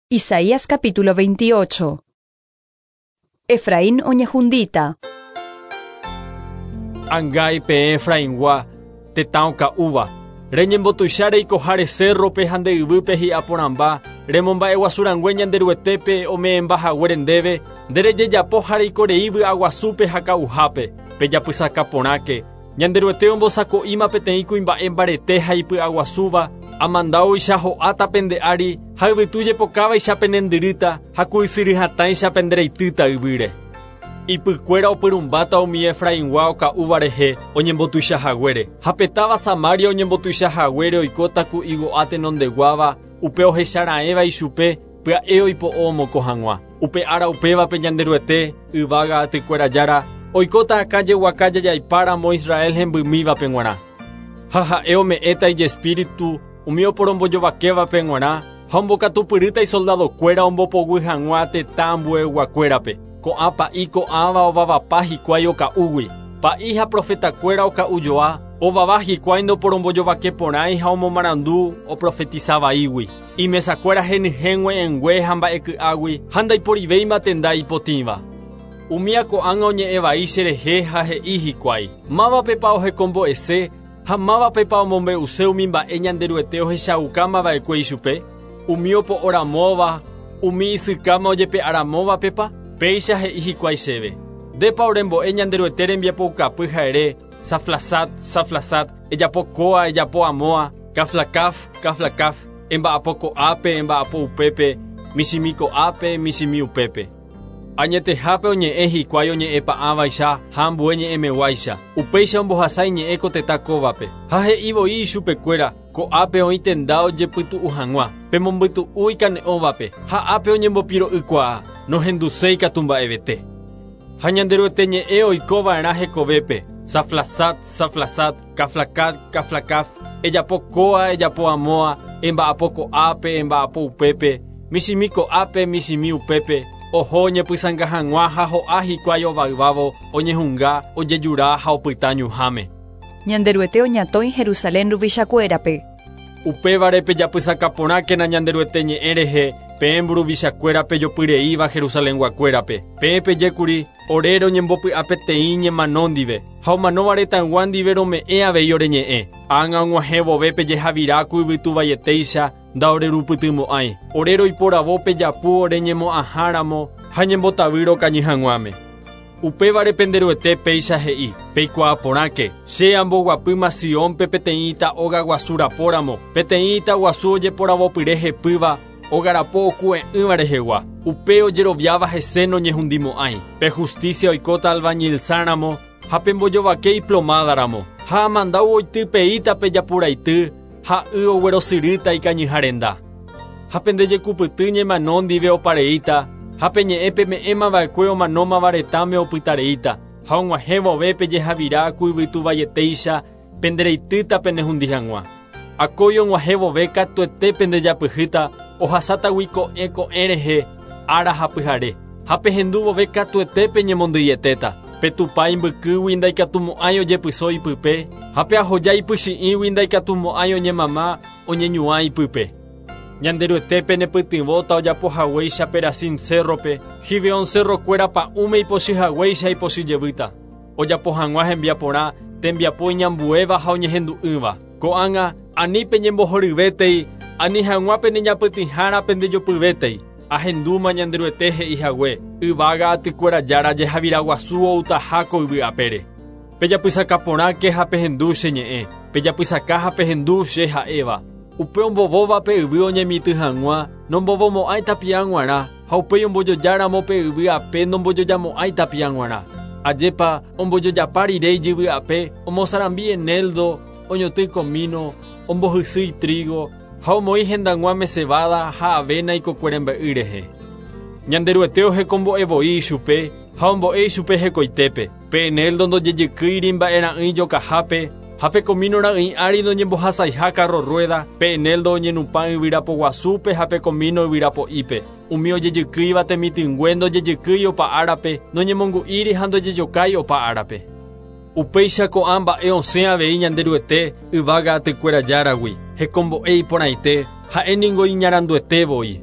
Isaías capítulo 28. Efraín oñehundíta. Angái peẽ Efraingua, tetã oka'úva, reñembotuicha reikoháre cérrope ha nde yvýpe hi'a porãmba, remomba'eguasu rangue Ñanderuetépe ome'ẽmba haguére ndéve, nde rejejapo ha reiko rei vy'aguasúpe ha ka'uhápe. Pejapysaka porãke, Ñanderuete ombosako'íma peteĩ kuimba'e mbarete ha ipy'aguasúva, amandáoicha ho'áta pende ári ha yvytu jepokávaicha penendyrýta ha ku ysyry hatãicha pendereitýta yvýre. Ipykuéra opyrũmbáta umi Efraingua oka'úva rehe oñembotuicha haguére, ha pe táva Samaria oñembotuicha haguére oikóta ku igo'a tenondeguáva, upe ohecha raẽva ichupe, pya'e oipo'o omokõ hag̃ua. Upe ára upévape Ñanderuete, yvága atykuéra Jára, oikóta akã jeguaka jajaipa ramo Israel hembymívape g̃uarã. Ha ha'e ome'ẽta ijespíritu umi oporombojovakévape g̃uarã ha ombokatupyrýta isoldadokuéra ombopoguy hag̃ua tetã ambueyguakuérape. Ko'ã pa'i ko'ãva ovavapa hikuái oka'úgui. Pa'i ha profetakuéra oka'ujoa, ovava hikuái ndoporombojovake porãi ha omomarandu oprofetisa vaígui. Imesakuéra henyhẽ g̃ue'ẽngue ha mba'eky'águi ha ndaiporivéima tenda ipotĩva. Umía ko'ág̃a oñe'ẽ vai cherehe ha he'i hikuái, Mávapepa ohekombo'ese ha mávapepa omombe'use umi mba'e Ñanderuete ohechaukáma va'ekue ichupe? Umi opo'oramóva, umi isykáma ojepe'aramóvapepa? Péicha he'i hikuái chéve, Ndépa orembo'e Ñanderuete rembiapoukapy ha ere, Saflasat, saflasat, ejapo kóa, ejapo amóa, kaflakaf, kaflakaf, emba'apo ko'ápe, emba'apo upépe, michĩmi ko'ápe, michĩmi upépe. Añetehápe oñe'ẽ hikuái oñe'ẽ pa'ãvaicha ha ambue ñe'ẽmeguáicha, upéicha ombohasa iñe'ẽ ko tetã kóvape. Ha he'i voi ichupekuéra, Ko'ápe oĩ tenda ojepytu'u hag̃ua, pemombytu'u ikane'õvape, ha ápe oñembopiro'ykuaa, nohenduséi katu mba'evete. Ha Ñanderuete ñe'ẽ oiko va'erã hekovépe, Saflasat, saflasat, kaflakat, kaflakaf, ejapo kóa, ejapo amóa, emba'apo ko'ápe, emba'apo upépe, michĩmi ko'ápe, michĩmi upépe, oho oñepysãnga hag̃ua ha ho'a hikuái ovayvávo, oñehunga, ojejura ha opyta ñuhãme. Ñanderuete oñatõi Jerusalén ruvichakuérape. Upévare pejapysaka porãkena Ñanderuete ñe'ẽ rehe, peẽ mburuvichakuéra pejopyreíva Jerusalenguakuérape. Peẽ pejékuri, Ore roñembopy'apeteĩ ñemano ndive, ha omanóva retãygua ndive rome'ẽ avei ore ñe'ẽ. Ág̃a og̃uahẽ vove pejehavira ku yvytu vaietéicha ndaorerupytymo'ãi. Ore roiporavo pe japu ore ñemo'ãha ramo ha ñembotavy rokañy hag̃uáme. Upévare pende Ruete péicha he'i, Peikuaa porãke, che amboguapýma Siónpe peteĩ ita óga guasu rapo ramo, peteĩ ita guasu ojeporavopyre hepýva, óga rapo oku'e'ỹva rehegua. Upe ojeroviáva hese noñehundimo'ãi. Pe justícia oikóta albañil-sã ramo, ha pe mbojovake iplomáda ramo. Ha amandáu oitypeíta pe japuraity, ha y oguerosyrýta ikañyha renda. Ha pende jekupyty ñemano ndive opareíta, ha pe ñe'ẽ peme'ẽma va'ekue omanómava retãme opytareíta, ha og̃uahẽ vove pejehavira ku yvytu vaietéicha pende reitýta penehundi hag̃ua. Akói og̃uahẽ vove katuete pendejapyhýta ohasátagui ko'ẽ ko'ẽ rehe ára ha pyhare, ha pehendu vove katuete peñemondyietéta. Pe Tupã imbykýgui ndaikatumo'ãi ojepyso ipype, ha pe ahoja ipychi'ĩgui ndaikatumo'ãi oñemama oñeñuã ipype. Ñanderuete penepytyvõta ojapo haguéicha Perasim cérrope, Gibeon cerrokuéra pa'ũme ipochy haguéicha ipochy jevýta, ojapo hag̃ua hembiaporã tembiapo iñambuéva ha oñehendu'ỹva. Ko'ág̃a, ani peñembohoryvétei, ani hag̃ua peneñapytĩhára pendejopyvétei. Ahendúma Ñanderuete he'i hague, Yvága atykuéra Jára jehavira guasu outaha ko yvy apére. Pejapysaka porãke ha pehendu che ñe'ẽ, pejapysaka ha pehendu che ha'éva. Upe ombovóva pe yvy oñemitỹ hag̃ua, nombovomo'ãi tapia g̃uarã, ha upéi ombojoja ramo pe yvy ape nombojojamo'ãi tapia g̃uarã. Ajépa, ombojojapa rire ijyvy ape, omosarambi enéldo, oñotỹ komíno, ombohysýi trígo, ha omoĩ hendag̃uáme cebada ha avéna ikokue rembe'y rehe. Ñanderuete ohekombo'e voi ichupe ha ombo'e ichupe hekoitépe. Pe enéldo ndojejykýiri mba'e ra'ỹi jokahápe ha pe komíno ra'ỹi ári noñembohasaiha kárro rruéda, pe enéldo oñenupã yvyra poguasúpe ha pe komíno yvyra po'ípe. Umi ojejykýiva temitỹngue ndojejykýi opa árape, noñemongu'íri ha ndojejokái opa árape. Upéicha ko'ã mba'e osẽ avei Ñanderuete yvága atykuéra Járagui, hekombo'e iporãite, ha'e ningo iñaranduete voi.